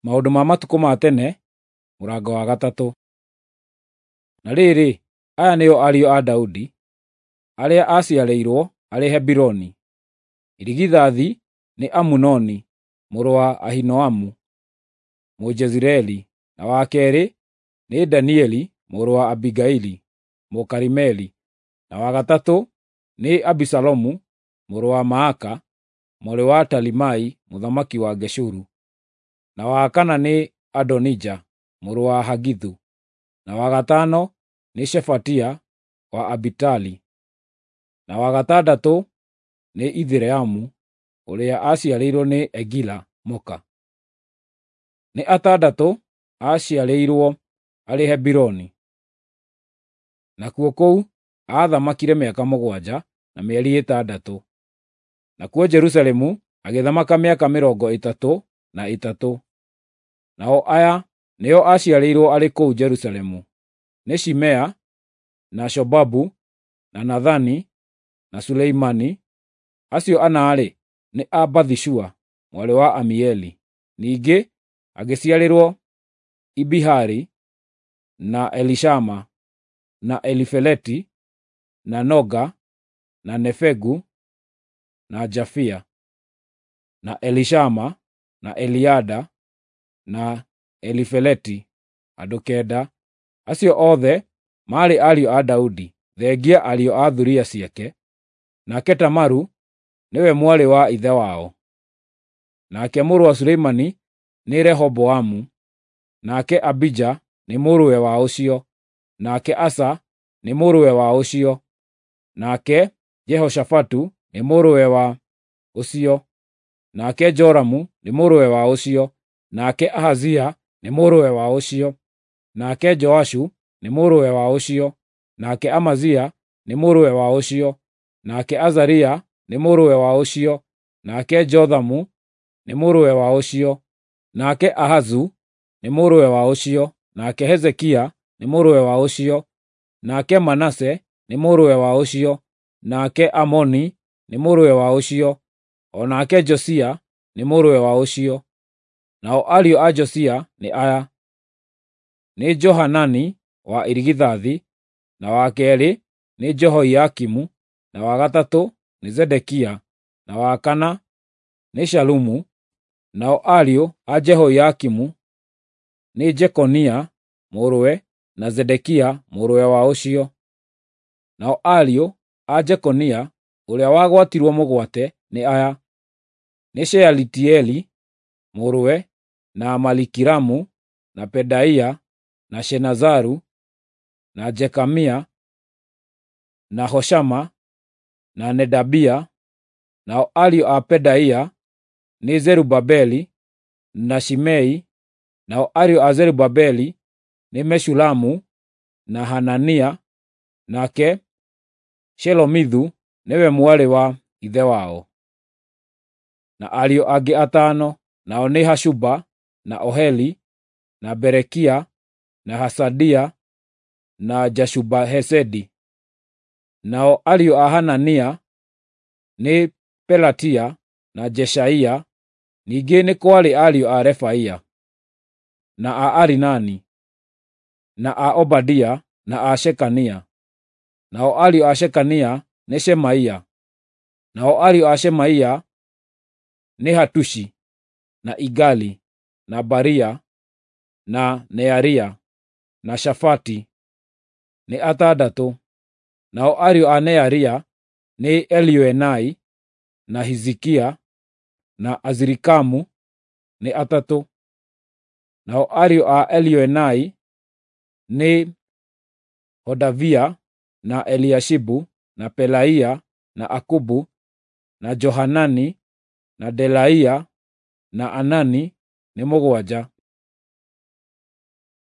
Maũndũ ma matukũ ma tene, mũrango wa 3. Na rĩrĩ, aya nĩo ariũ a Daudi, arĩa aaciarĩirwo arĩ Hebironi: Irigithathi nĩ Amunoni mũrũ wa Ahinoamu Mũjezireeli, na wa keerĩ nĩ Danieli mũrũ wa Abigaili Mũkarimeli, na wa gatatũ nĩ Abisalomu mũrũ wa Maaka, mwarĩ wa Talimai mũthamaki wa Geshuru, na wa kana nĩ Adonija mũrũ wa Hagithu, na wa gatano nĩ Shefatia wa Abitali, na wa gatandatũ nĩ Ithireamu ũrĩa aaciarĩirwo nĩ Egila mũka. Nĩ atandatũ aaciarĩirwo arĩ Hebironi. Nakuo kũu aathamakire mĩaka 7 na mĩeri 6. Nakuo Jerusalemu agĩthamaka mĩaka 33. Nao aya nĩo aaciarĩirwo arĩ kũu Jerusalemu: nĩ Shimea, na Shobabu, na Nathani, na Suleimani. Acio ana-rĩ, nĩ a Bathishua mwarĩ wa Amieli. Ningĩ agĩciarĩrwo Ibihari, na Elishama, na Elifeleti, na Noga, na Nefegu, na Jafia, na Elishama, na Eliada, na Elifeleti, andũ 9. Acio othe maarĩ ariũ a Daudi, thengia ariũ a thuriya ciake. Nake Tamaru nĩwe mwarĩ wa ithe wao. Nake mũrũ wa Suleimani nĩ Rehoboamu, nake Abija nĩ mũrũwe wa ũcio, nake Asa nĩ mũrũwe wa ũcio, nake Jehoshafatu nĩ mũrũwe wa ũcio, nake Joramu nĩ mũrũwe wa ũcio, nake Ahazia nĩ mũrũwe wa ũcio, nake Joashu nĩ mũrũwe wa ũcio, nake Amazia nĩ mũrũwe wa ũcio, nake Azaria nĩ mũrũwe wa ũcio, nake Jothamu nĩ mũrũwe wa ũcio, nake Ahazu nĩ mũrũwe wa ũcio, nake Hezekia nĩ mũrũwe wa ũcio, nake Manase nĩ mũrũwe wa ũcio, nake Amoni nĩ mũrũwe wa ũcio, o nake Josia nĩ mũrũwe wa ũcio. Nao ariũ a Josia nĩ aya: nĩ Johanani wa irigithathi, na wa keerĩ nĩ Jehoiakimu, na wa gatatũ nĩ Zedekia, na wa kana nĩ Shalumu. Nao ariũ a Jehoiakimu nĩ Jekonia mũrũwe na Zedekia mũrũwe wa ũcio. Nao ariũ a Jekonia ũrĩa wagwatirwo mũgwate nĩ aya: nĩ Shealitieli mũrũwe, na Malikiramu, na Pedaia, na Shenazaru, na Jekamia, na Hoshama, na Nedabia. Nao ariũ a Pedaia nĩ Zerubabeli na Shimei. Nao ariũ a Zerubabeli nĩ Meshulamu na Hanania, nake Shelomithu nĩwe mwarĩ wa ithe wao. Na ariũ angĩ 5, nao nĩ Hashuba, na Oheli, na Berekia, na Hasadia, na Jashuba-Hesedi. Nao ariũ a Hanania nĩ Pelatia na Jeshaia. Ningĩ nĩ kwarĩ ariũ a Refaia, na a Arinani, na a Obadia, na a Shekania. Nao ariũ a Shekania nĩ Shemaia. Nao ariũ a Shemaia nĩ Hatushi, na Igali, na Baria, na Nearia, na Shafati, nĩ 6. Nao ariũ a Nearia nĩ Elioenai, na Hizikia, na Azirikamu, nĩ 3. Nao ariũ a Elioenai nĩ Hodavia, na Eliashibu, na Pelaia, na Akubu, na Johanani, na Delaia, na Anani, nĩ 7.